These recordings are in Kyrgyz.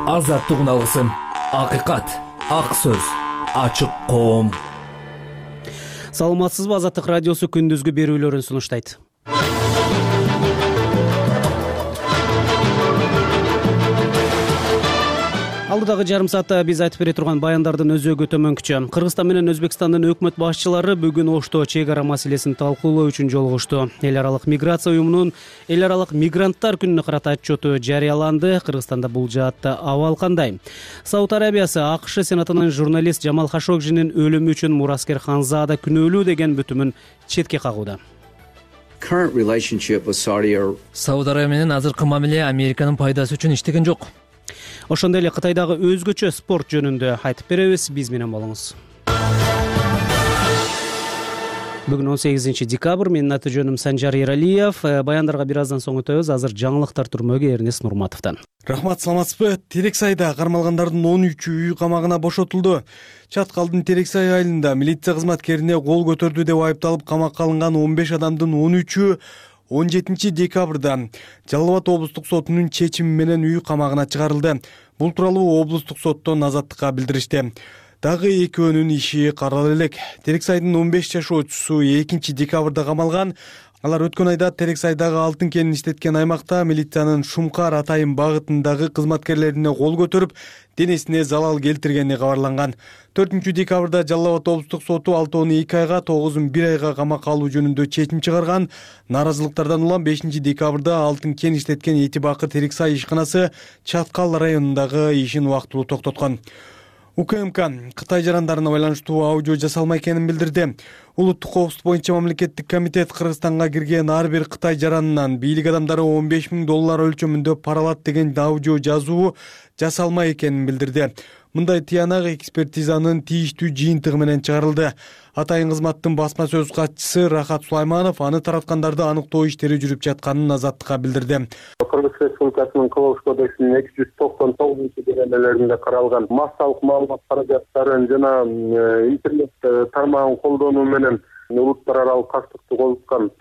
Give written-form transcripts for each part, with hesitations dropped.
Азаттык алгысым, акыйкат, ак сөз, ачык коом. Саламатсызбы? Азаттык радиосу күндүзгү берүүлөрүн сунуштайт. Алдыдагы жарым саатта биз айтып бере турган баяндардын өзөгү төмөнкүчө. Кыргызстан менен Өзбекстандын өкмөт башчылары бүгүн Ошто чек ара маселесин талкуулоо үчүн жолугушту. Эл аралык миграция уюмунун эл аралык мигранттар күнүнө карата отчету жарыяланды. Кыргызстанда бул жаатта абал кандай? Сауд Арабиясы АКШ Сенатынын журналист Жамал Хашогжинин өлүмү үчүн мураскер Ханзада күнөөлүү деген бүтүмүн четке кагууда. Сауд Арабия менен азыркы мамиле Американын пайдасы үчүн иштеген жок. Ошондой эле Кытайдагы өзгөчө спорт жөнүндө айтып беребиз. Биз менен болуңуз. Бүгүн 18 декабрь. Менин аты жөнүм Санжар Эралиев. Баяндарга бир аздан соң өтөбүз. Азыр жаңылыктар түрмөгү Эрнест Нурматовдон. Рахмат, саламатсызбы? Терексайда кармалгандардын 13-ü үй камагына бошотулду. Чаткалдын Терексай айылында милиция кызматкерине кол көтөрдү деп айыпталып камакка алынган 15 адамдын 13-ü 17 декабрда Жалал Абад облустук сотунун чечими менен үй камагына чыгарылды. Бул тууралуу облустук соттон азаттыкка билдиришти. Дагы экөөнүн иши каралып элек. Терексайдын 15 жашоочусу 2 декабрда камалган. Алар өткөн айда Терексайдагы алтын кенин иштеткен аймакта милициянын Шумкар Атайын багытындагы кызматкерлерине кол көтөрүп, денесине залал келтиргени кабарланган. 4 декабрда Жалал Абад облустук соту 6-2 айга, 9-1 айга камакка алуу жөнүндө чечим чыгарган. Наразылыктардан улам 5 декабрда алтын кен иштеткен Этибакы Терексай ишканасы Чаткал районундагы ишин убактылуу токтоткон. УКМК Кытай жарандарына байланыштуу аудио жасалмай экенин билдирди. Улуттук коопсуздук боюнча мамлекеттик комитет Кыргызстанга кирген ар бир Кытай жаранынан бийлик адамдары $15,000 өлчөмүндө пара алат деген аудио жазуу жасалмай экенин билдирди. Мындай тыянак экспертизанын тийиштүү жыйынтыгы менен чыгарылды. Атайын кызматтын басма сөз катчысы Рахат Сулайманов аны тараткандарды аныктоо иштери жүрүп жатканын азаттыкка билдирди. Кыргыз Республикасынын Кылмыш кодексинин 299-беренелеринде каралган массалык маалымат каражаттарын жана интернет тармагын колдонуу менен улуттар аралык каштыкты козуткан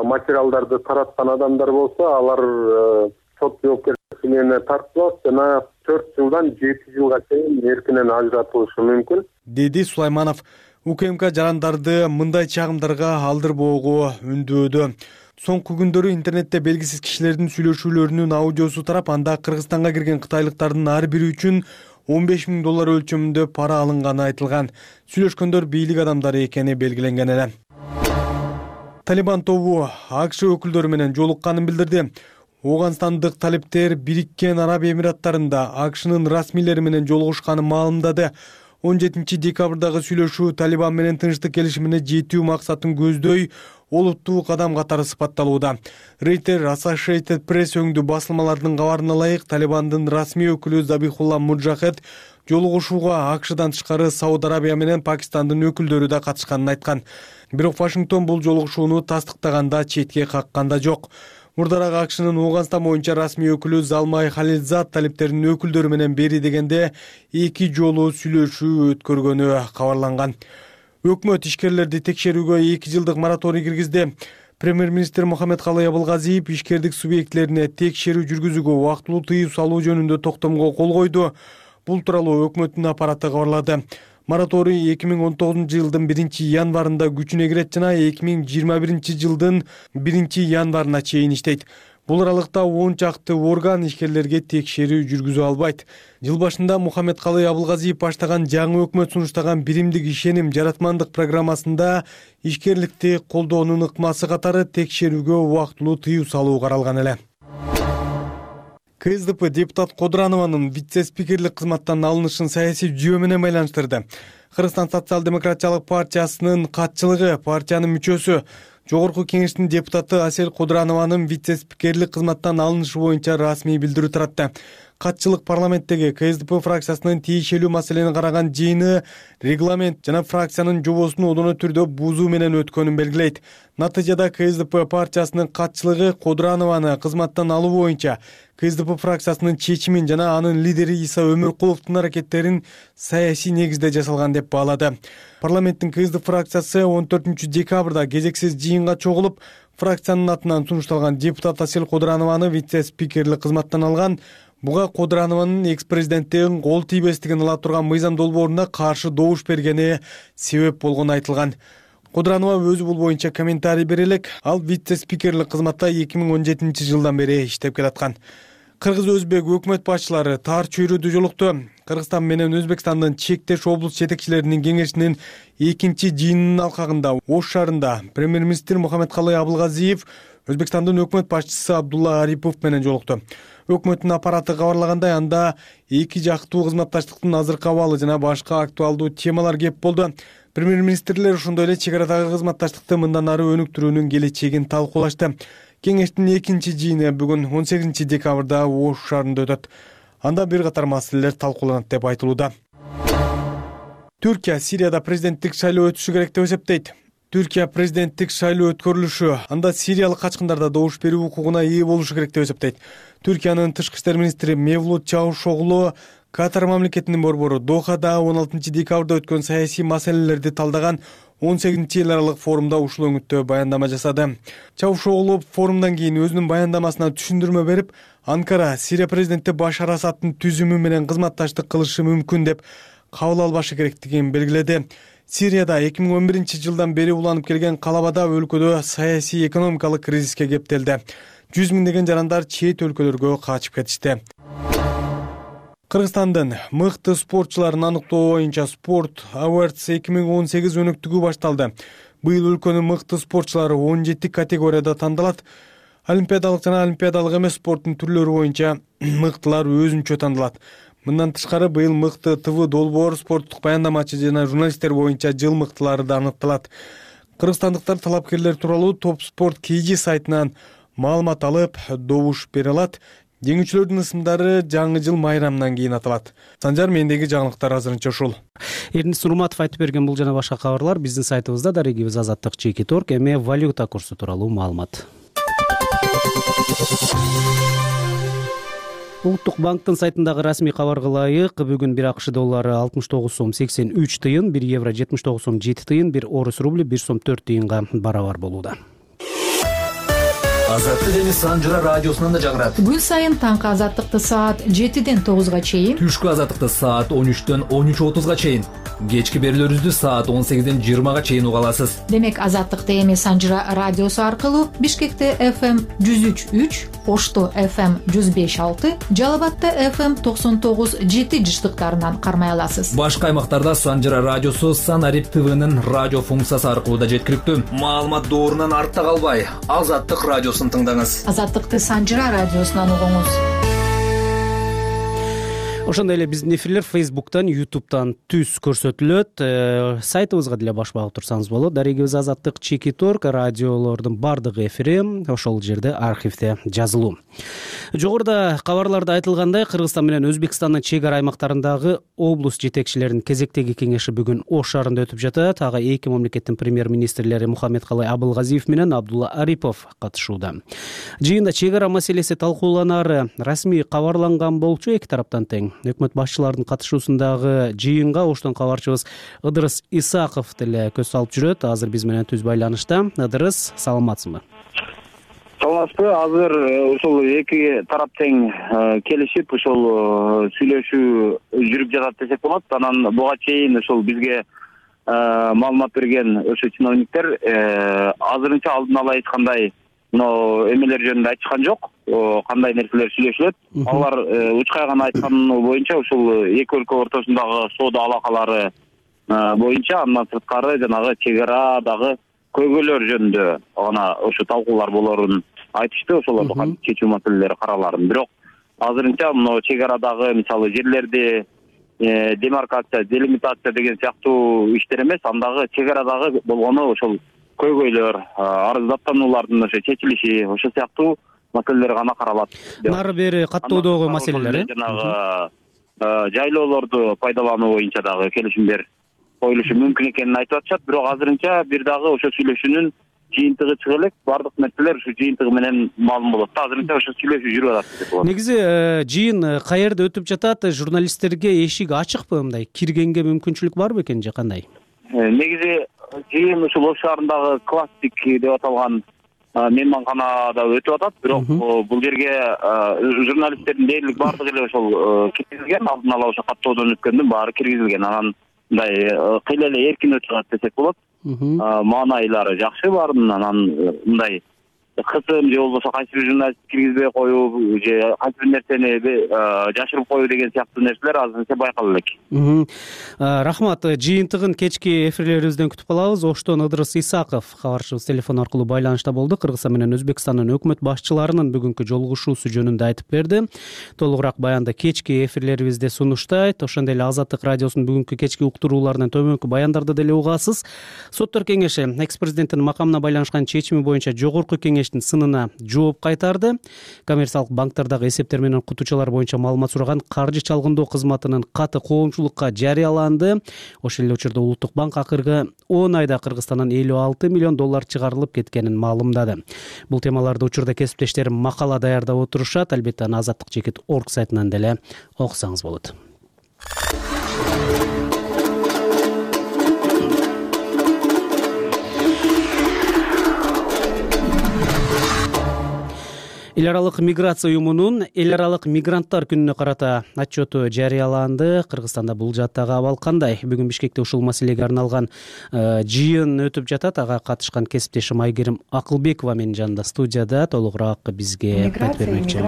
материалдарды тараткан адамдар болсо, алар сот жоопкерчилигине тартылат жана 4 жылдан 7 жылга чейин эркинен ажыратылышы мүмкүн, деди Сулайманов. УКМК жарандарды мындай чагымдарга алдырбоого үндөөдө. Соңку күндөрү интернетте белгисиз кишилердин сүйлөшүүлөрүнүн аудиосу тарап, анда Кыргызстанга кирген кытайлыктардын ар бири үчүн $15,000 өлчөмүндө пара алынганы айтылган. Сүйлөшкөндөр бийлик адамдары экени белгиленген эле. Талибан тобу АКШ өкүлдөрү менен жолукканын билдирди. Оганстандык талиптер Бириккен Араб Эмираттарында АКШнын расмийлери менен жолугушканын маалымдады. 17 декабрдагы сүйлөшүү Талибан менен тынчтык келишимине жетүү максатын көздөй олуттуу кадам катары сыпатталууда. Рейтер Associated Press өңдүү басылмалардын кабарына ылайык, Талибандын расмий өкүлү Забихулла Муджахед жолугушууга АКШдан тышкары Сауд Арабия менен Пакистандын өкүлдөрү да катышканын айткан. Бирок Вашингтон бул жолугушууну тастыктаганда, четке каккан да жок. Мурдараак АКШнын Оганстан боюнча расмий өкүлү Залмай Халилзад талиптердин өкүлдөрү менен бери дегенде 2 жолу сүйлөшүү өткөргөнү кабарланган. Өкмөт ишкерлерди текшерүүгө 2 жылдык мораторий киргизди. Премьер-министр Мухаммедкалый Абылгазиев ишкердик субъектлерине текшерүү жүргүзүүгө убактылуу тыюу салуу жөнүндө токтомго кол койду. Бул тууралуу өкмөттүн аппараты кабарлады. Мораторий 2019 жылдын 1 январында күчүнө кирет жана 2021 жылдын 1 январына чейин иштейт. Бул аралыкта 10 чакты орган ишкерлерге текшерүү жүргүзө албайт. Жыл башында Мухаммедкалый Абылгазиев баштаган жаңы өкмөт сунуштаган биримдик ишеним жаратмандык программасында ишкерликти колдоонун ыкмасы катары текшерүүгө убактылуу тыюу салуу каралган эле. КСДП депутат Кодранованын вице-спикерлик кызматтан алынышын саясий жүйө менен байланыштырды. Кыргызстан социал-демократиялык партиясынын катчылыгы партиянын мүчөсү Жогорку кеңештин депутаты Асель Кодранованын вице-спикерлик кызматтан алынышы боюнча расмий билдирүү таратты. Катчылык парламенттеги КСДП фракциясынын тиешелүү маселени караган жыйыны регламент жана фракциянын жобосун одоно түрдө бузуу менен өткөнүн белгилейт. Натыйжада КСДП партиясынын катчылыгы Кодранованы кызматтан алуу боюнча КСДП фракциясынын чечимин жана анын лидери Иса Өмүркуловдун аракеттерин саясий негизде жасалган деп баалады. Парламенттин КСДП фракциясы 14 декабрда кезексиз жыйынга чогулуп, Фракциянын атынан сунушталган депутат Асель Кодуранованы вице-спикерлик кызматтан алган. Буга Кодуранованын экс-президенттин кол тийбестигин ала турган мыйзам долбооруна каршы добуш бергени себеп болгону айтылган. Кодуранова өзү бул боюнча комментарий бере элек. Ал вице-спикерлик кызматта 2017-жылдан бери иштеп келаткан. Кыргыз-өзбек өкмөт башчылары таар чөйрөдө жолукту. Кыргызстан менен Өзбекстандын чектеш облус жетекчилеринин кеңешинин 2-жыйынынын алкагында Ош шаарында премьер-министр Мухаммедкалый Абылгазиев Өзбекстандын өкмөт башчысы Абдулла Арипов менен жолукту. Өкмөттүн аппараты кабарлагандай, анда эки жактуу кызматташтыктын азыркы абалы жана башка актуалдуу темалар кеп болду. Премьер-министрлер ошондой эле чек арадагы кызматташтыкты мындан ары өнүктүрүүнүн келечегин талкуулашты. Кеңештин 2-жыйыны бүгүн 18 декабрда Ош шаарында өтөт. Анда бир катар маселелер талкууланат деп айтылууда. Түркия Сирияда президенттик шайлоо өтүшү керек деп эсептейт. Түркия президенттик шайлоо өткөрүлүшү анда сириялык качкындарда добуш берүү укугуна ээ болушу керек деп эсептейт. Түркиянын тышкы иштер министри Мевлут Чавушоглу Катар мамлекетинин борбору Дохада 16 декабрда өткөн саясий маселелерди талдаган 18 эл аралык форумда ушул өңүттө баяндама жасады. Чавушоглу форумдан кийин өзүнүн баяндамасына түшүндүрмө берип, Анкара Сирия президенти Башар Асадтын түзүмү менен кызматташтык кылышы мүмкүн деп кабыл албашы керектигин белгиледи. Сирияда 2011-жылдан бери уланып келген калабада өлкөдө саясий экономикалык кризиске кептелди. 100 миңдеген жарандар чет өлкөлөргө качып кетишти. Кыргызстандын мыкты спортчуларын аныктоо боюнча Sport Awards 2018 өнөктүгү башталды. Быйыл өлкөнүн мыкты спортчулары 17 категорияда тандалат. Олимпиадалык жана олимпиадалык эмес спорттун түрлөрү боюнча мыктылар өзүнчө тандалат. Мындан тышкары быйыл мыкты ТВ долбоор, спорттук баяндамачы жана журналисттер боюнча жыл мыктылары да аныкталат. Кыргызстандыктар талапкерлер тууралуу Топ Спорт KG сайтынан маалымат алып, добуш бере алат. Жеңүүчүлөрдүн ысымдары жаңы жыл майрамынан кийин аталат. Санжар, мендеги жаңылыктар азырынча ушул. Эрнис Нурматов айтып берген бул жана башка кабарлар биздин сайтыбызда, дарегибиз Азаттык /Торг. Эми валюта курсу тууралуу маалымат. Улуттук банктын сайтындагы расмий кабарга ылайык, бүгүн 1 АКШ доллары 69 сом 83 тыйын, 1 евро 79 сом 7 тыйын, 1 орус рубли 1 сом 4 тыйынга барабар болууда. Азаттык эми Санжара радиосунан да жаңырат. Күн сайын таңкы азаттыкты саат 7-ден 9га чейин, Түшкү азаттыкты саат 13-төн 13:30га чейин, кечки берүүлөрүбүздү саат 18-ден 20га чейин уга аласыз. Демек азаттыкты эми Санжара радиосу аркылуу Бишкекте FM 103.3, Ошто FM 105.6, Жалал Абадта FM 99.7 жыштыктарынан кармай аласыз. Башка аймактарда Санжара радиосу Санарип ТВнын радио функциясы аркылуу да жеткиликтүү. Маалымат доорунан артта калбай, Азаттык радиосун тыңдаңыз. Азаттыкты Санжара радиосунан угуңуз. Ошондой эле биздин эфирлер Facebook'тан, YouTube'тан түз көрсөтүлөт. Сайтыбызга деле баш багып турсаңыз болот. Дарегибиз Азаттык /Торг радиолордун бардык эфири ошол жерде архивде жазылуу. Жогоруда кабарларда айтылгандай, Кыргызстан менен Өзбекстандын чек ара аймактарындагы облус жетекчилеринин кезектеги кеңеши бүгүн Ош шаарында өтүп жатат. Ага эки мамлекеттин премьер-министрлери Мухаммедкалый Абылгазиев менен Абдулла Арипов катышууда. Жыйында чек ара маселеси талкууланары расмий кабарланган болчу, эки тараптан тең. Өкмөт башчыларынын катышуусундагы жыйынга Оштон кабарчыбыз Ыдырыс Исаков деле көз салып жүрөт. Азыр биз менен түз байланышта. Ыдырыс, саламатсызбы? Саламатсызбы. Азыр ушул эки тарап тең келишип, ушул сүйлөшүү жүрүп жатат десек болот. Анан буга чейин ушул бизге маалымат берген ошо чиновниктер азырынча алдын ала эч кандай эмелер жөнүндө айтышкан жок. Кандай нерселер сүйлөшүлөт. Алар учкай гана айтканы боюнча ушул эки өлкө ортосундагы соода алакалары боюнча, андан сырткары жанагы чек арадагы көйгөйлөр жөнүндө гана ошо талкуулар болорун айтышты. Ошолорду кантип чечүү маселелери караларын. Бирок азырынча мына чек арадагы мисалы жерлерди демаркация, делимитация деген сыяктуу иштер эмес, андагы чек арадагы болгону ошол көйгөйлөр, арыздаттануулардын ошо чечилиши, ошол сыяктуу маселелер гана каралат. Нары бери каттоодогу маселелер, жанагы жайлоолорду пайдалануу боюнча дагы келишимдер коюлушу мүмкүн экенин айтып атышат. Бирок азырынча бир дагы ошо сүйлөшүүнүн жыйынтыгы чыга элек. Бардык нерселер ушу жыйынтыгы менен маалым болот. Азырынча ошо сүйлөшүү жүрүп атат деп болот. Негизи жыйын каерде өтүп жатат? Журналисттерге эшик ачыкпы, мындай киргенге мүмкүнчүлүк барбы экен же кандай? Негизи жыйын ушул Ош шаарындагы классик деп аталган мейманканада өтүп атат. Бирок бул жерге журналисттердин дээрлик баардыгы эле ошол киргизилген, алдын ала ошо каттоодон өткөндүн баары киргизилген. Анан мындай кыйла эле эркин өтүп атат десек болот. Маанайлары жакшы баарынын. Анан мындай кысым же болбосо кайсы бир журналист киргизбей коюу же кайсы бир нерсени жашырып коюу деген сыяктуу нерселер азырынча байкала элек. Рахмат. Жыйынтыгын кечки эфирлерибизден күтүп калабыз. Оштон Ыдырыс Исаков кабарчыбыз телефон аркылуу байланышта болду. Кыргызстан менен Өзбекстандын өкмөт башчыларынын бүгүнкү жолугушуусу жөнүндө айтып берди. Толугураак баянды кечки эфирлерибизде сунуштайт. Ошондой эле Азаттык радиосунун бүгүнкү кечки уктурууларынан төмөнкү баяндарды деле угасыз. Соттор кеңеши экс-президенттин макамына байланышкан чечими боюнча жогорку кеңеш сынына жооп кайтарды. Коммерциялык банктардагы эсептер менен окутуучулар боюнча маалымат сураган каржы чалгындоо кызматынын каты коомчулукка жарыяланды. Ошол эле учурда Улуттук банк акыркы 10 айда Кыргызстандан $56 миллион чыгарылып кеткенин маалымдады. Бул темаларды учурда кесиптештерим макала даярдап отурушат. Албетте аны azatlyk.org сайтынан деле окусаңыз болот. Эл аралык миграция уюмунун эл аралык мигранттар күнүнө карата отчету жарыяланды. Кыргызстанда бул жаттагы абал кандай? Бүгүн Бишкекте ушул маселеге арналган жыйын өтүп жатат. Ага катышкан кесиптешим Айгерим Акылбекова менин жанымда студияда. Толугураак бизге айтып бермекчи.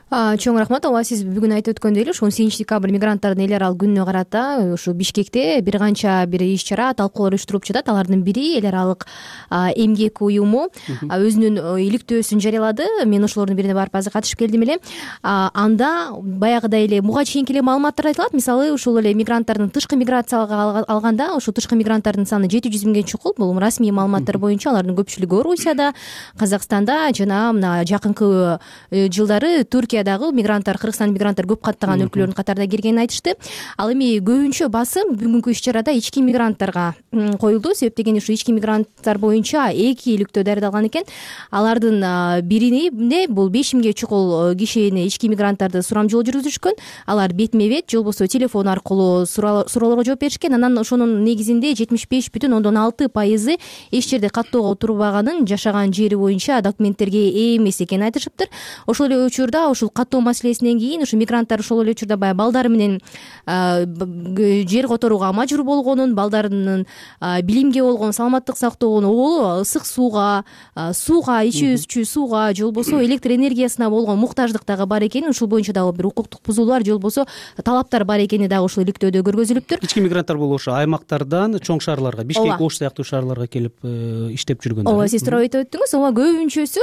Чоң рахмат. Ооба, сиз бүгүн айтып өткөндөй эле 18 декабрь мигранттардын эл аралык күнүнө карата ушу Бишкекте бир канча бир иш-чара, талкуулар уюштуруп жатат. Алардын бири эл аралык эмгек уюму өзүнүн иликтөөсүн жарыялады. Мен ошолордун бирине барып азыр катышып келдим эле. Анда баягыдай эле буга чейинки эле маалыматтар айтылат. Мисалы, ушул эле мигранттардын тышкы миграцияга алганда, ушул тышкы мигранттардын саны 700 миңге чукул. Бул расмий маалыматтар боюнча. Алардын көпчүлүгү Орусияда, Казакстанда жана мына жакынкы жылдары Түркиядагы мигранттар, Кыргызстан мигранттар көп каттаган өлкөлөрдүн катарына киргенин айтышты. Ал эми көбүнчө басым бүгүнкү иш-чарада ички мигранттарга коюлду. Себеп дегенде ушу ички мигранттар боюнча 2 иликтөө даярдалган экен. Алардын бирине бул 5 миңге чукул кишини ички мигранттарды сурамжылоо жүргүзүшкөн. Алар бетме бет же болбосо телефон аркылуу суроолорго жооп беришкен. Анан ошонун негизинде 75,6% эч жерде каттоого турбаганын, жашаган жери боюнча документтерге ээ эмес экенин айтышыптыр. Ошол эле учурда ушул каттоо маселесинен кийин ушу мигранттар ошол эле учурда баягы балдары менен жер которууга мажбур болгонун, балдарынын билимге болгон саламаттык сактоонун оболу ысык сууга, ичүүчү сууга же болбосо электр энергиясына болгон муктаждык дагы бар экенин, ушул боюнча дагы бир укуктук бузуулар же болбосо талаптар бар экени дагы ушул иликтөөдө көргөзүлүптүр. Ички мигранттар бул ошо аймактардан чоң шаарларга, Бишкек, Ош сыяктуу шаарларга келип иштеп жүргөндөр. Ооба, сиз туура айтып өттүңүз. Ооба, көбүнчөсү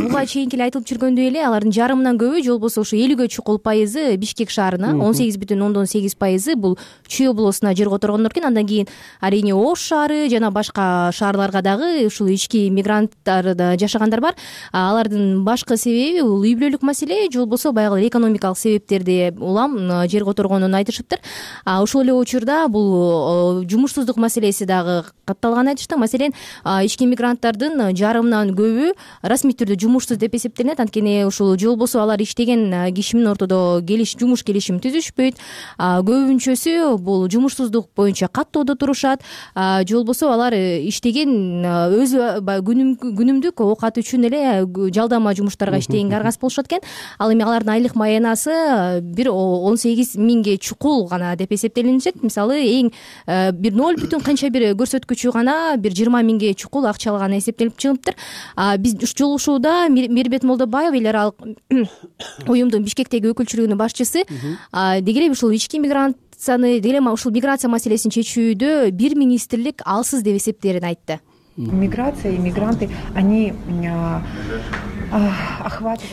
буга чейинки эле айтылып жүргөндөй эле алардын жарымынан көбү же болбосо ушу 50ге чукул пайызы Бишкек шаарына, 18,8% бул Чүй облусуна жер которгондор экен. Андан кийин арийне Ош шаары жана башка шаарларга дагы ушул ички мигранттар жашагандар бар. Алардын башкы себеби бул үй бүлөлүк маселе же болбосо баягы экономикалык себептерди улам жер которгонун айтышыптыр. Ошол эле учурда бул жумушсуздук маселеси дагы катталганын айтышты. Маселен, ички мигранттардын жарымынан көбү расмий түрдө жумушсуз деп эсептелинет. Анткени ушул же болбосо алар иштеген киши менен ортодо жумуш келишими түзүшпөйт. Көбүнчөсү бул жумушсуздук боюнча каттоодо турушат. Же болбосо алар иштеген өзү күнүмдүк оокат үчүн эле жалдама жумуштарга иштегенге аргасыз болушат экен. Ал эми алардын айлык маянасы бир 18 миңге чукул гана деп эсептелинет. Мисалы, эң бир 0 канча бир көрсөткүчү гана бир 20 миңге чукул акча алганы эсептелип чыгыптыр. Биз жолугушууда Мирбет Молдобаев эл аралык уюмдун Бишкектеги өкүлчүлүгүнүн башчысы дегеле ушул ички миграцияны деле ушул миграция маселесин чечүүдө бир министрлик алсыз деп эсептээрин айтты. Миграция и мигранты, они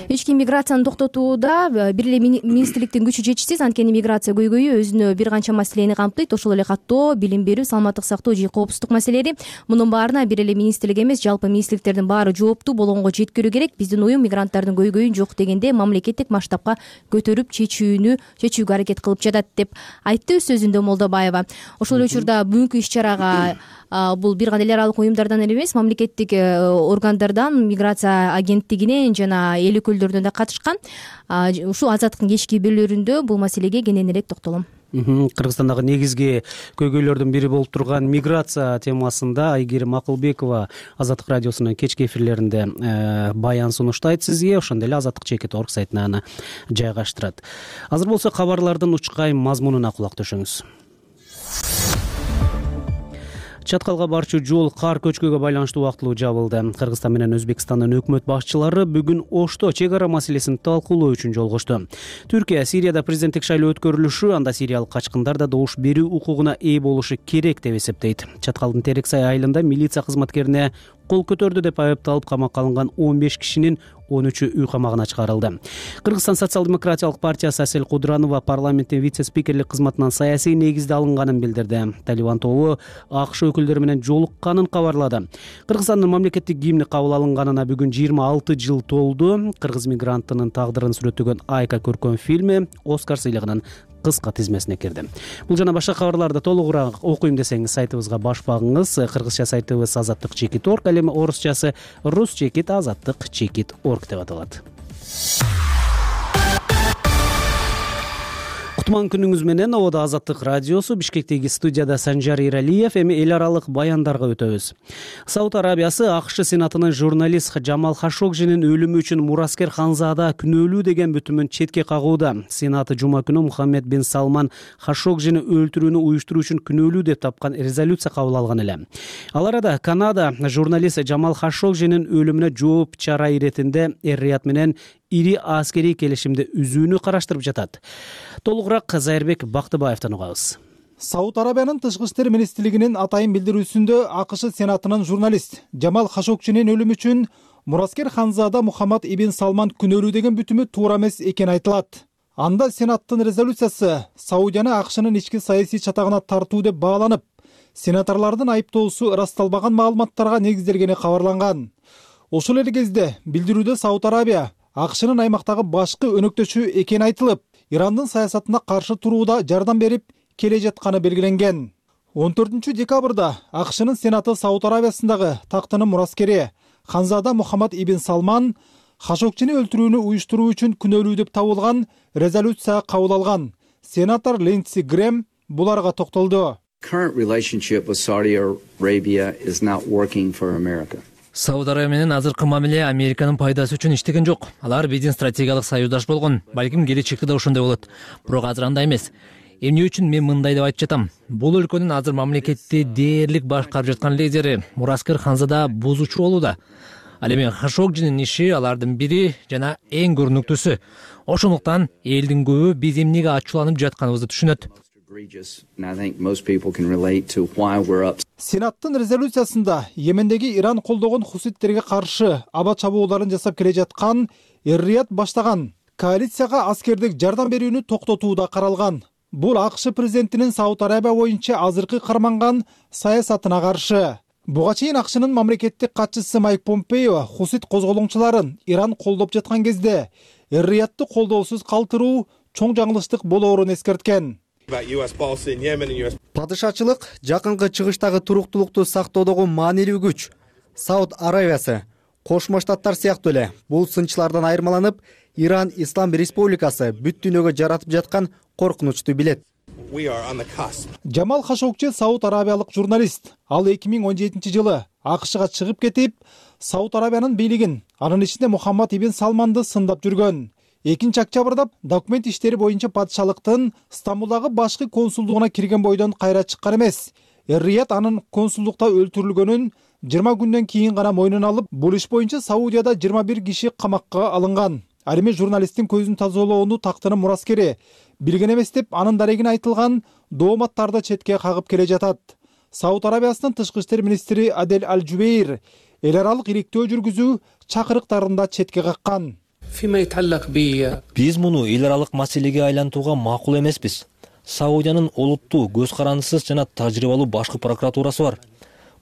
ички миграцияны токтотууда бир эле министрликтин күчү жетишсиз. Анткени миграция көйгөйү өзүнө бир канча маселени камтыйт. Ошол эле каттоо, билим берүү, саламаттык сактоо же коопсуздук маселелери. Мунун баарына бир эле министрлик эмес, жалпы министрликтердин баары жооптуу болгонго жеткирүү керек. Биздин уюм мигранттардын көйгөйүн жок дегенде мамлекеттик масштабка көтөрүп чечүүгө аракет кылып жатат деп айтты өз сөзүндө Молдобаева. Ошол эле учурда бүгүнкү иш-чарага бул бир гана эл аралык уюмдардан эле эмес, мамлекеттик органдардан, миграция агенттигинен жана эл өкүлдөрүнөн да катышкан. Ушул Азаттыктын кечки берүүлөрүндө бул маселеге кененирээк токтолом. Кыргызстандагы негизги көйгөйлөрдүн бири болуп турган миграция темасында Айгерим Акылбекова Азаттык радиосунун кечки эфирлеринде баян сунуштайт сизге, ошондой эле Азаттык.org сайтына аны жайгаштырат. Азыр болсо кабарлардын учкай мазмунуна кулак төшөңүз. Чаткалга барчу жол кар көчкүгө байланыштуу убактылуу жабылды. Кыргызстан менен Өзбекстандын өкмөт башчылары бүгүн Ошто чек ара маселесин талкуулоо үчүн жолугушту. Түркия Сирияда президенттик шайлоо өткөрүлүшү, анда сириялык качкындар да добуш берүү укугуна ээ болушу керек деп эсептейт. Чаткалдын Терексай айылында милиция кызматкерине кол көтөрдү деп айыпталып камакка алынган 15 кишинин 13-ü үй камагына чыгарылды. Кыргызстан социал-демократиялык партиясы Асель Кудранова парламенттин вице-спикерлик кызматынан саясий негизде алынганын билдирди. Талибан тобу АКШ өкүлдөрү менен жолукканын кабарлады. Кыргызстандын мамлекеттик гимни кабыл алынганына бүгүн 26 жыл толду. Кыргыз мигранттынын тагдырын сүрөттөгөн Айка көркөм фильми Оскар сыйлыгынын кыска тизмесине кирди. Бул жана башка кабарларды толугураак окуйм десеңиз сайтыбызга баш багыңыз. Кыргызча сайтыбыз Азаттык.org, ал эми орусчасы rus.azattik.org деп аталат. Кутман күнүңүз менен. Ободо Азаттык радиосу, Бишкектеги студияда Санжар Иралиев. Эми эл аралык баяндарга өтөбүз. Сауд Арабиясы АКШ Сенатынын журналист Жамал Хашогжинин өлүмү үчүн Мураскер Ханзада күнөөлүү деген бүтүмүн четке кагууда. Сенаты жума күнү Мухаммед бин Салман Хашогжини өлтүрүүнү уюштуруу үчүн күнөөлүү деп тапкан резолюция кабыл алган эле. Ал арада Канада журналист Жамал Хашогжинин өлүмүнө жооп чара иретинде Эр-Рияд менен ири аскерий келишимди үзүүнү караштырып жатат. Толугураак Зайырбек Бактыбаевден угабыз. Сауд Арабиянын тышкы иштер министрлигинин атайын билдирүүсүндө АКШ Сенатынын журналист Жамал Хашогжинин өлүмү үчүн Мураскер Ханзада Мухаммад ибн Салман күнөөлүү деген бүтүмү туура эмес экени айтылат. Анда Сенаттын резолюциясы Саудияны АКШнын ички саясий чатагына тартуу деп бааланып, сенаторлордун айыптоосу ырасталбаган маалыматтарга негизделгени кабарланган. Ошол эле кезде билдирүүдө Сауд Арабия АКШнын аймактагы башкы өнөктөшү экени айтылып, Ирандын саясатына каршы турууда жардам берип келе жатканы белгиленген. 14 декабрда АКШнын Сенаты Сауд Арабиясындагы тактынын мураскери Ханзада Мухаммад ибн Салман Хашогжини өлтүрүүнү уюштуруу үчүн күнөөлүү деп табылган резолюция кабыл алган. Сенатор Линдси Грэм буларга токтолду. Сауд Арабия менен азыркы мамиле Американын пайдасы үчүн иштеген жок. Алар биздин стратегиялык союздаш болгон. Балким келечекте да ошондой болот. Бирок азыр андай эмес. Эмне үчүн мен мындай деп айтып жатам? Бул өлкөнүн азыр мамлекетти дээрлик башкарып жаткан лидери Мураскер Ханзада бузуучу болууда. Ал эми Хашогжинин иши алардын бири жана эң көрүнүктүүсү. Ошондуктан элдин көбү биз эмнеге ачууланып жатканыбызды түшүнөт. Сенаттын резолюциясында Йемендеги Иран колдогон хуситтерге каршы аба чабууларын жасап келе жаткан Эр-Рияд баштаган коалицияга аскердик жардам берүүнү токтотууда каралган. Бул АКШ президентинин Сауд Арабия боюнча азыркы карманган саясатына каршы. Буга чейин АКШнын мамлекеттик катчысы Майк Помпео хусит козголоңчуларын Иран колдоп жаткан кезде Эр-Риядты колдоосуз калтыруу чоң жаңылыштык болоорун эскерткен. Падышачылык жакынкы чыгыштагы туруктуулукту сактоодогу маанилүү күч. Сауд Арабиясы, Кошмо Штаттар сыяктуу эле бул сынчылардан айырмаланып, Иран Ислам Республикасы бүт дүйнөгө жаратып жаткан коркунучту билет. Жамал Хашогжи Сауд Арабиялык журналист. Ал 2017 жылы АКШга чыгып кетип, Сауд Арабиянын бийлигин, анын ичинде Мухаммад ибн Салманды сындап жүргөн. 2 октябрда документ иштери боюнча падышалыктын Стамбулдагы башкы консулдугуна кирген бойдон кайра чыккан эмес. Эр-Рияд анын консулдукта өлтүрүлгөнүн 20 күндөн кийин гана мойнуна алып, бул иш боюнча Саудияда 21 киши камакка алынган. Ал эми журналисттин көзүн тазалоону тактынын мураскери билген эмес деп анын дарегине айтылган дооматтарды четке кагып келе жатат. Сауд Арабиясынын тышкы иштер министри Адель Аль-Жубейр эл аралык иликтөө жүргүзүү чакырыктарында четке каккан. Биз муну эл аралык маселеге айлантууга макул эмеспиз. Саудиянын олуттуу, көз карандысыз жана тажрыйбалуу башкы прокуратурасы бар.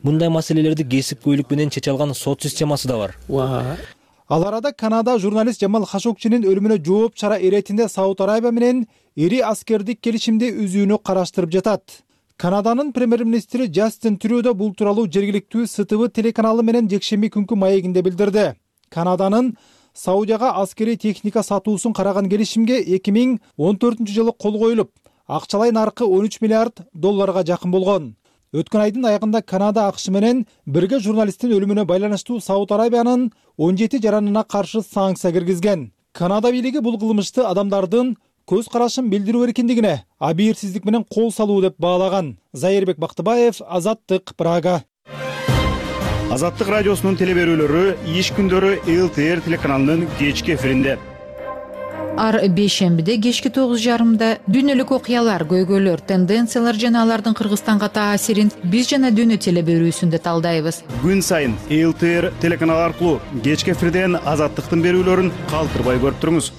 Мындай маселелерди кесипкөйлүк менен чече алган сот системасы да бар. Ал арада Канада журналист Жамал Хашогжинин өлүмүнө жооп чара иретинде Сауд Арабия менен ири аскердик келишимди үзүүнү караштырып жатат. Канаданын премьер-министри Джастин Трюдо бул тууралуу жергиликтүү СТВ телеканалы менен жекшемби күнкү маегинде билдирди. Канаданын Саудияга аскерий техника сатуусун караган келишимге 2014 жылы кол коюлуп, акчалай наркы 13 миллиард долларга жакын болгон. Өткөн айдын аягында Канада АКШ менен бирге журналисттин өлүмүнө байланыштуу Сауд Арабиянын 17 жаранына каршы санкция киргизген. Канада бийлиги бул кылмышты адамдардын көз карашын билдирүү эркиндигине абийирсиздик менен кол салуу деп баалаган. Зайырбек Бактыбаев, Азаттык, Прага. Азаттык радиосунун теле берүүлөрү иш күндөрү ЛТР телеканалынын кечки эфиринде. Ар бейшембиде кечки 9:30 дүйнөлүк окуялар, көйгөйлөр, тенденциялар жана алардын Кыргызстанга таасирин биз жана дүйнө теле берүүсүндө талдайбыз. Күн сайын ЛТР телеканалы аркылуу кечки эфирден Азаттыктын берүүлөрүн калтырбай көрүп туруңуз.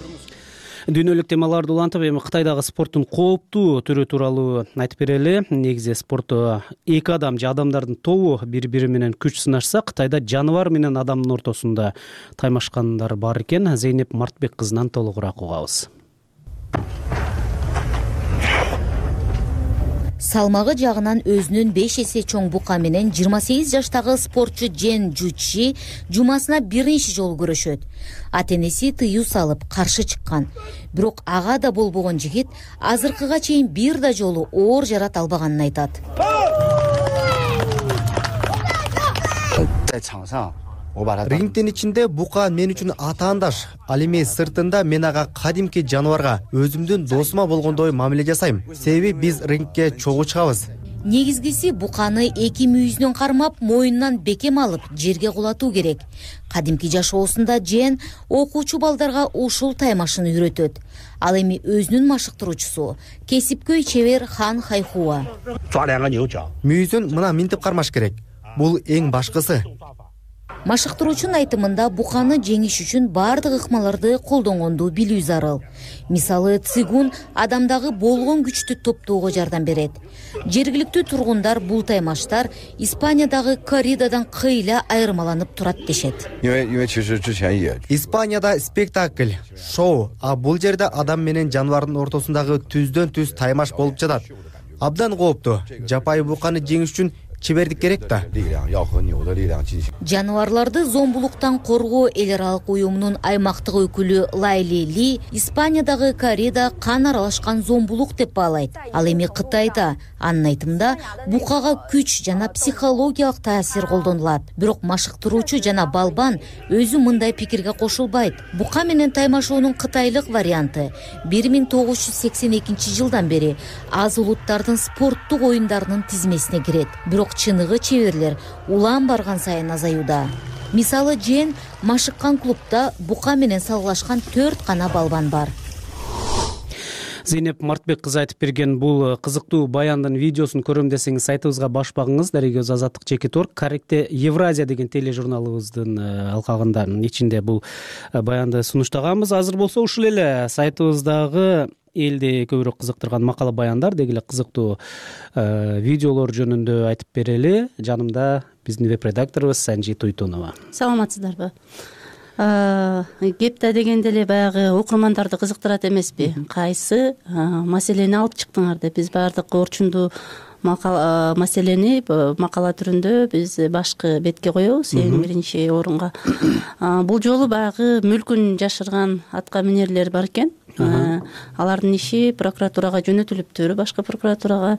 Дүйнөлүк темаларды улантып, эми Кытайдагы спорттун кооптуу түрү тууралуу айтып берели. Негизи спортто эки адам же адамдардын тобу бири-бири менен күч сынашса, Кытайда жаныбар менен адамдын ортосунда таймашкандар бар экен. Зейнеп Мартбек кызынан толугураак угабыз. Салмагы жагынан өзүнүн 5 эсе чоң бука менен 28 жаштагы спортчу Джен Жучи жумасына биринчи жолу көрүшөт. Ата-энеси тыюу салып каршы чыккан. Бирок ага да болбогон жигит азыркыга чейин бир да жолу оор жарат албаганын айтат. Рингдин ичинде бука мен үчүн атаандаш. Ал эми сыртында мен ага кадимки жаныбарга, өзүмдүн досума болгондой мамиле жасайм. Себеби биз рингке чогуу чыгабыз. Негизгиси буканы эки мүйүзүнөн кармап, моюнунан бекем алып, жерге кулатуу керек. Кадимки жашоосунда Джен окуучу балдарга ушул таймашын үйрөтөт. Ал эми өзүнүн машыктыруучусу, кесипкөй чебер Хан Хайхуа. Мүйүзүн мына минтип кармаш керек. Бул эң башкысы. Машыктыруучунун айтымында буканы жеңиш үчүн бардык ыкмаларды колдонгонду билүү зарыл. Мисалы, цигун адамдагы болгон күчтү топтоого жардам берет. Жергиликтүү тургундар бул таймаштар Испаниядагы корридадан кыйла айырмаланып турат дешет. Испанияда спектакль, шоу, а бул жерде адам менен жаныбардын ортосундагы түздөн түз таймаш болуп жатат. Абдан кооптуу. Жапайы буканы жеңиш үчүн чебердик керек да. Жаныбарларды зомбулуктан коргоо эл аралык уюмунун аймактык өкүлү Лайли Ли Испаниядагы коррида кан аралашкан зомбулук деп баалайт. Ал эми Кытайда, анын айтымында, букага күч жана психологиялык таасир колдонулат. Бирок машыктыруучу жана балбан өзү мындай пикирге кошулбайт. Бука менен таймашоонун кытайлык варианты 1982 жылдан бери аз улуттардын спорттук оюндарынын тизмесине кирет. Бирок чыныгы чеберлер улам барган сайын азаюуда. Мисалы, Джен машыккан клубда бука менен салгылашкан 4 гана балбан бар. Зейнеп Мартбек кызы айтып берген бул кызыктуу баяндын видеосун көрөм десеңиз сайтыбызга баш багыңыз. Дарегөз Азаттык Чекиторг Корректе Евразия деген тележурналыбыздын алкагында ичинде бул баянды сунуштаганбыз. Азыр болсо ушул эле сайтыбыздагы элди көбүрөөк кызыктырган макала баяндар, деги эле кызыктуу видеолор жөнүндө айтып берели. Жанымда биздин веб-редакторубуз Санжи Туйтунова. Саламатсыздарбы? Кепта дегенде эле баягы окурмандарды кызыктырат эмеспи? Кайсы маселени алып чыктыңар деп биз баардык орчундуу маселени макала түрүндө биз башкы бетке коебуз, эң биринчи орунга. Бул жолу баягы мүлкүн жашырган атка минерлер бар экен. Алардын иши прокуратурага жөнөтүлүптүр, башкы прокуратурага.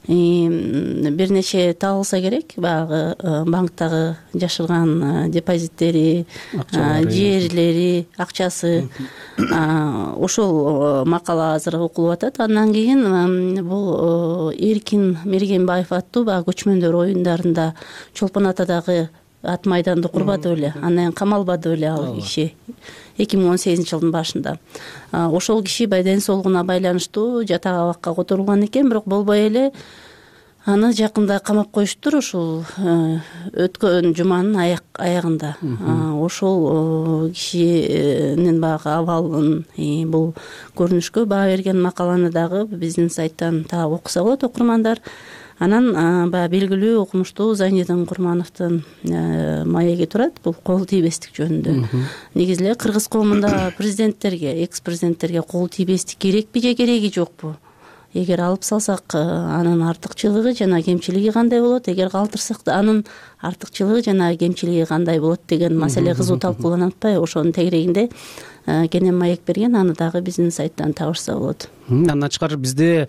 Бир нече табылса керек, баягы банктагы жашырган депозиттери, жерлери, акчасы. Ошол макала азыр окулуп атат. Андан кийин бул Эркин Мергенбаев аттуу баягы көчмөндөр оюндарында Чолпон Атадагы ат майданды курбады беле, анан камалбады беле ал киши 2018 жылдын башында. Ошол киши ден соолугуна байланыштуу жатак абакка которулган экен, бирок болбой эле аны жакында камап коюштур ушул өткөн жуманын аягында. Ошол кишинин баягы абалын бул көрүнүшкө баа берген макаланы дагы биздин сайттан таап окуса болот окурмандар. Анан баягы белгилүү окумуштуу Зайнидин Курмановдун маеги турат, бул кол тийбестик жөнүндө. Негизи эле кыргыз коомунда президенттерге, экс-президенттерге кол тийбестик керекпи же кереги жокпу эгер алып салсак анын артыкчылыгы жана кемчилиги кандай болот, эгер калтырсак анын артыкчылыгы жана кемчилиги кандай болот деген маселе кызуу талкууланып атпайбы? Ошонун тегерегинде кенен маек берген, аны дагы биздин сайттан табышса болот. Андан тышкары бизде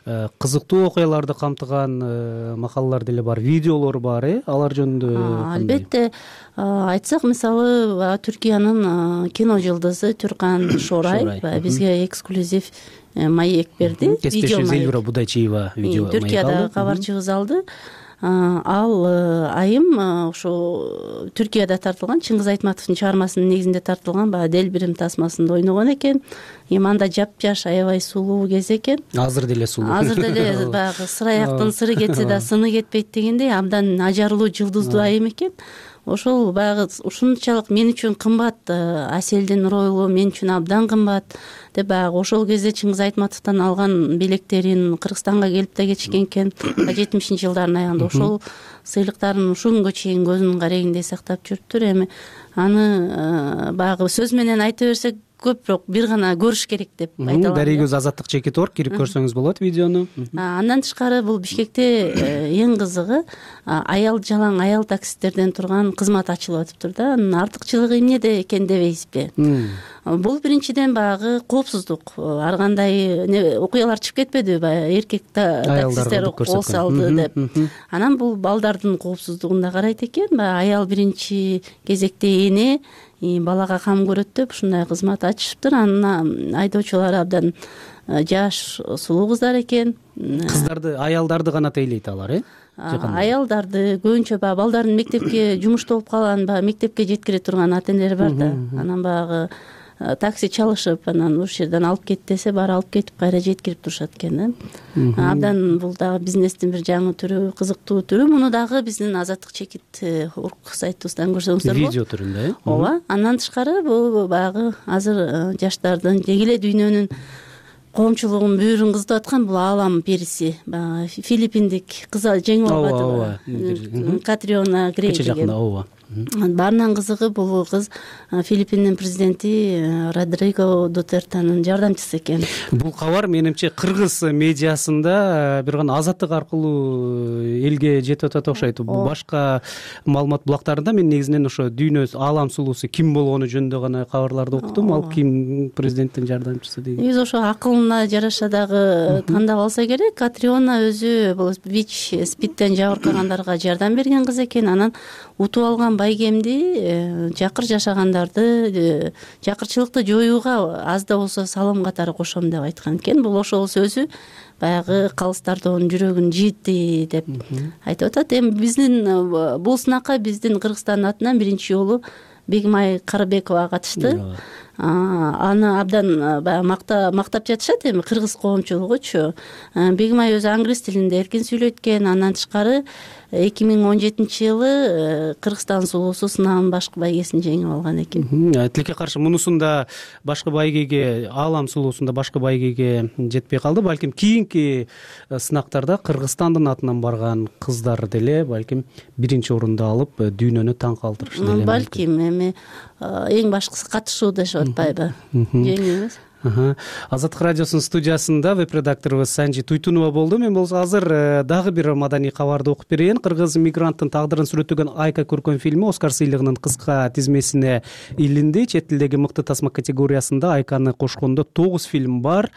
кызыктуу окуяларды камтыган макалалар деле бар, видеолор бар, алар жөнүндө албетте айтсак, мисалы Түркиянын кино жылдызы Түркан Шорай бизге эксклюзив маек берди. Кесиптешибиз Эльвира Будайчиева видео маек алды. Түркиядагы кабарчыбыз алды. Ал айым ошо Түркияда тартылган, Чыңгыз Айтматовдун чыгармасынын негизинде тартылган баягы Делбирим тасмасында ойногон экен. Эми анда жапжаш, аябай сулуу кез экен. Азыр деле сулуу. Азыр деле баягы сыр аяктын сыры кетсе да сыны кетпейт дегендей абдан ажарлуу, жылдыздуу айым экен. Ошол баягы ушунчалык мен үчүн кымбат, Аселдин ролу мен үчүн абдан кымбат деп баягы ошол кезде Чыңгыз Айтматовдон алган белектерин Кыргызстанга келип да кетишкен экен 70-жылдардын аягында. Ошол сыйлыктарын ушул күнгө чейин көзүнүн карегиндей сактап жүрүптүр. Эми аны баягы сөз менен айта берсек көпүрөөк бир гана көрүш керек деп айта алам. Дарыгөз Азаттык Чекит.org кирип көрсөңүз болот видеону. Андан тышкары бул Бишкекте эң кызыгы аял жалаң аял таксисттерден турган кызмат ачылып атыптыр да. Анын артыкчылыгы эмнеде экен дебейсизби? Бул биринчиден баягы коопсуздук. Ар кандай окуялар чыгып кетпедиби? Баягы эркек таксисттер кол салды деп. Анан бул балдардын коопсуздугун да карайт экен. Баягы аял биринчи кезекте эне балага кам көрөт деп ушундай кызмат ачышыптыр. Анын айдоочулары абдан жаш, сулуу кыздар экен. Кыздарды, аялдарды гана тейлейт алар, Аялдарды көбүнчө баягы балдарын мектепке жумушта болуп калган, баягы мектепке жеткире турган ата-энелер бар да. Анан баягы такси чалышып, анан ушул жерден алып кет десе, баары алып кетип кайра жеткирип турушат экен да. Абдан бул дагы бизнестин бир жаңы түрү, кызыктуу түрү. Муну дагы биздин Азаттык Чекит.org сайтыбыздан көрсөңүздөр болот. Видео түрүндө, Ооба. Андан тышкары бул баягы азыр жаштардын деги эле дүйнөнүн коомчулугунун бүйүрүн кызытып аткан бул аалам периси, баягы филиппиндик кыз жеңип албадыбы? Катриона Грей деген. Баарынан кызыгы бул кыз Филиппиндин президенти Родриго Дутертенин жардамчысы экен. Бул кабар менимче кыргыз медиасында бир гана Азаттык аркылуу элге жетип атат окшойт. Башка маалымат булактарында мен негизинен ошо дүйнө аалам сулуусу ким болгону жөнүндө гана кабарларды окудум. Ал ким президенттин жардамчысы деген. Биз ошо акылына жараша дагы тандап алса керек. Катриона өзү бул ВИЧ-СПИДтен жабыркагандарга жардам берген кыз экен. Анан утуп алган байгемди жакыр жашагандарды жакырчылыкты жоюуга аз да болсо салым катары кошом деп айткан экен. Бул ошол сөзү баягы калыстардын жүрөгүн жийди деп айтып атат. Эми биздин бул сынакка биздин Кыргызстандын атынан биринчи жолу Бегимай Карыбекова катышты. Аны абдан баягы мактап жатышат эми кыргыз коомчулугучу. Бегимай өзү англис тилинде эркин сүйлөйт экен. Андан тышкары 2017-жылы Кыргызстан сулуусу сынагынын башкы байгесин жеңип алган экен. Тилекке каршы мунусунда башкы байгеге, аалам сулуусунда башкы байгеге жетпей калды. Балким кийинки сынактарда Кыргызстандын атынан барган кыздар деле балким биринчи орунду алып дүйнөнү таң калтырышы деле. Балким эми эң башкысы катышуу дешип атпайбы? Жеңүү эмес. Азаттык радиосунун студиясында веб-редакторубуз Санжи Туйтунова болду. Мен болсо азыр дагы бир маданий кабарды окуп берейин. Кыргыз мигранттын тагдырын сүрөттөгөн Айка көркөм фильми Оскар сыйлыгынын кыска тизмесине илинди. Чет тилдеги мыкты тасма категориясында Айканы кошкондо 9 фильм бар.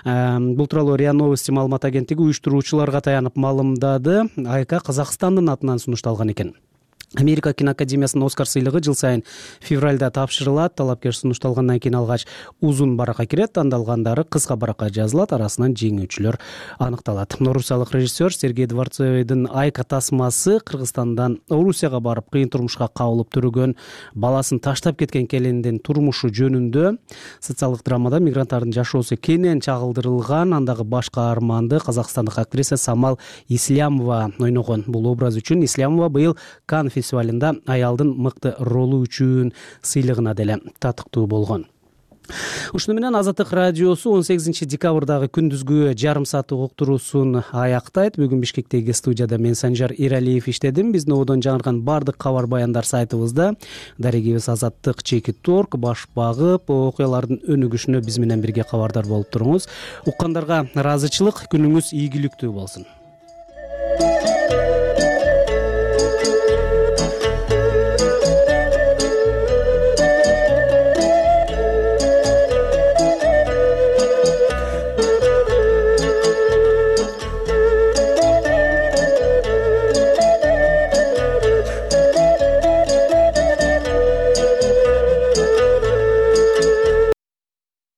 Бул тууралуу РИА Новости маалымат агенттиги уюштуруучуларга таянып маалымдады. Айка Казакстандын атынан сунушталган экен. Америка киноакадемиясынын Оскар сыйлыгы жыл сайын февралда тапшырылат. Талапкер сунушталгандан кийин алгач узун баракка кирет, тандалгандары кыска баракка жазылат, арасынан жеңүүчүлөр аныкталат. Орусиялык режиссер Сергей Дворцовойдун Айка тасмасы Кыргызстандан Орусияга барып кыйын турмушка кабылып төрөгөн баласын таштап кеткен келиндин турмушу жөнүндө социалдык драмада мигранттардын жашоосу кенен чагылдырылган. Андагы баш каарманды казакстандык актриса Самал Ислямова ойногон. Бул образ үчүн Ислямова быйыл Канн фестивалында аялдын мыкты ролу үчүн сыйлыгына деле татыктуу болгон. Ушуну менен Азаттык радиосу 18 декабрдагы күндүзгү жарым сааттык уктуруусун аяктайт. Бүгүн Бишкектеги студияда мен Санжар Иралиев иштедим. Биздин ободон жаңырган баардык кабар баяндар сайтыбызда. Дарегибиз Азаттык.org баш багып, окуялардын өнүгүшүнө биз менен бирге кабардар болуп туруңуз. Уккандарга ыраазычылык, күнүңүз ийгиликтүү болсун.